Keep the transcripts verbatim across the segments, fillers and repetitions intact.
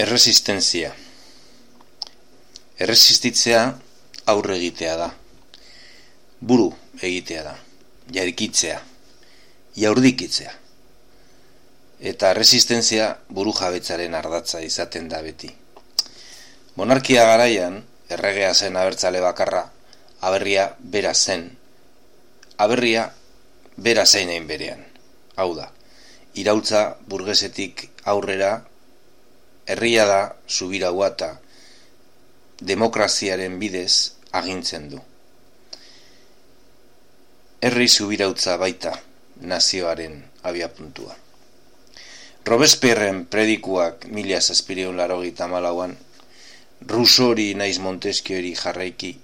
Erresistentzia. Erresistitzea aurre egitea da. Buru egitea da. Jarikitzea. Jaurdikitzea. Eta erresistentzia buru jabetzaren ardatza izaten da beti. Monarkia garaian, erregea zen abertzale bakarra, aberria bera zen. Aberria bera zein egin berean. Hau da, iraultza burgesetik aurrera, herria da subiraua eta demokraziaren bidez agintzen du. Herri subirautza baita nazioaren abiapuntua. Robespierren predikuak mila zazpiehun eta laurogeita hamalauan, Rousseauri naiz Montesquieuari jarraiki,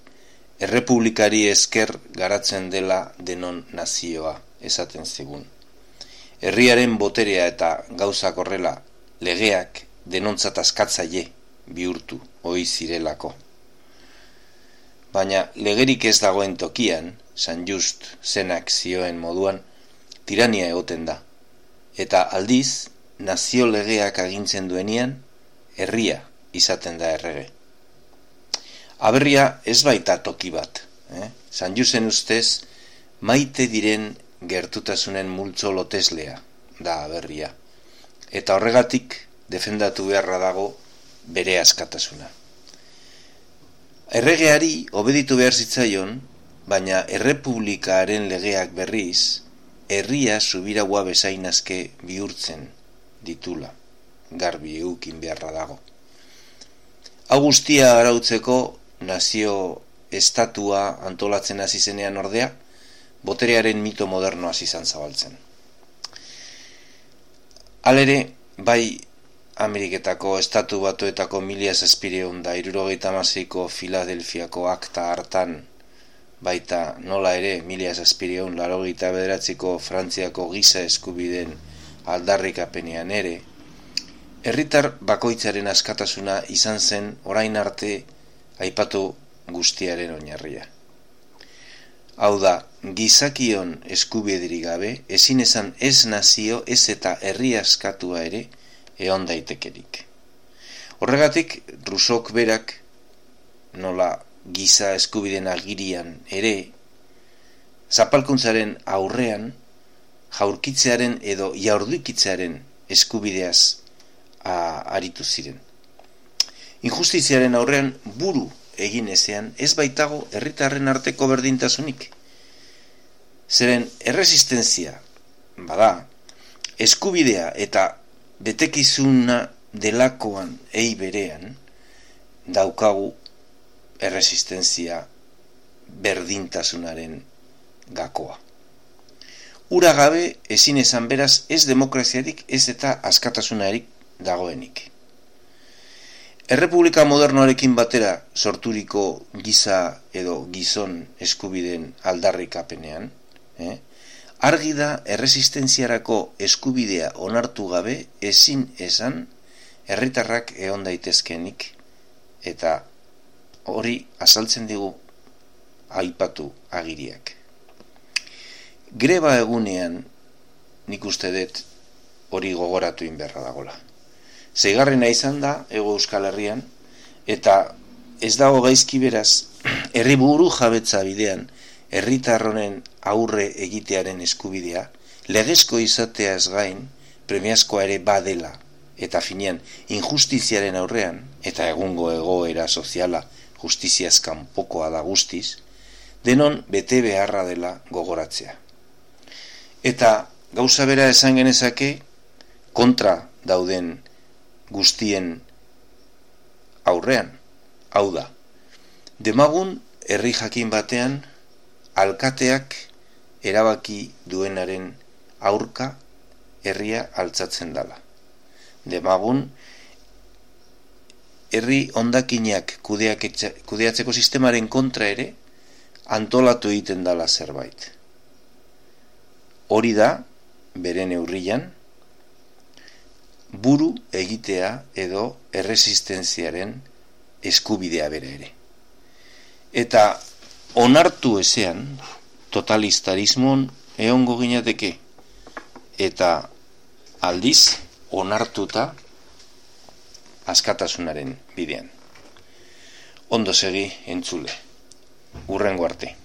errepublikari esker garatzen dela denon nazioa, esaten zigun. Herriaren boterea eta gauzak horrela, legeak denontzat askatzaile bihurtu ohi zirelako. Baina legerik ez dagoen tokian, San Just zenak zioen moduan, tirania egoten da. Eta aldiz, nazio legeak agintzen duenean, herria izaten da errege. Aberria ez baita toki bat. Eh? San Justen ustez, maite diren gertutasunen multzo loteslea da aberria. Eta horregatik, defendatu beharra dago bere askatasuna. Erregeari obeditu behar zitzaion, baina errepublikaren legeak berriz, herria subiraua bezainazke bihurtzen ditula, garbi eukin beharra dago. Hau guztia arautzeko nazio estatua antolatzen hasi zenean ordea, boterearen mito modernoa izan zabaltzen. Halere, bai Ameriketako estatu batuetako mila zazpiehun eta hirurogeita hamaseiko Filadelfiako akta hartan, baita nola ere mila zazpiehun eta laurogeita bederatziko Frantziako giza eskubideen aldarrikapenean ere, herritar bakoitzaren askatasuna izan zen orain arte aipatu guztiaren oinarria. Hau da, gizakion eskubiderik gabe, ezin esan ez nazio, ez eta herri askatua ere, egon daitekerik. Horregatik, Rousseauk berak, nola giza eskubideen agirian ere, zapalkuntzaren aurrean, jaurkitzearen edo jaurdikitzearen eskubideaz a, aritu ziren. Injustiziaren aurrean buru egin ezean, ez baitago herritarren arteko berdintasunik. Zeren erresistentzia, bada, eskubidea eta betekizuna delakoan ei berean daukagu erresistentzia berdintasunaren gakoa. Ura gabe ezin esan beraz ez demokraziarik ez eta askatasunarik dagoenik. Errepublika modernoarekin batera sorturiko giza edo gizon eskubideen aldarrikapenean, eh? Argi da erresistentziarako eskubidea onartu gabe ezin esan herritarrak egon daitezkenik eta hori azaltzen digu aipatu agiriak. Greba egunean nik uste dut hori gogoratu inberra dagola. Seigarrena izan da Hego Euskal Herrian eta ez dago gaizki beraz herri buru jabetza bidean herritar honen aurre egitearen eskubidea, legezko izateaz gain, premiazkoa ere badela, eta finean injustiziaren aurrean, eta egungo egoera soziala justiziaz kanpokoa da guztiz, denon bete beharra dela gogoratzea. Eta gauza bera esan genezake, kontra dauden guztien aurrean, hau da, demagun herri jakin batean, alkateak erabaki duenaren aurka herria altzatzen dala. Demagun, herri hondakinak kudeatzeko sistemaren kontra ere antolatu egiten dala zerbait. Hori da, bere neurrian, buru egitea edo erresistentziaren eskubidea bere ere. Eta onartu ezean, totalitarismon egongo ginateke, eta aldiz onartuta askatasunaren bidean. Ondo segi entzule. Hurrengo arte.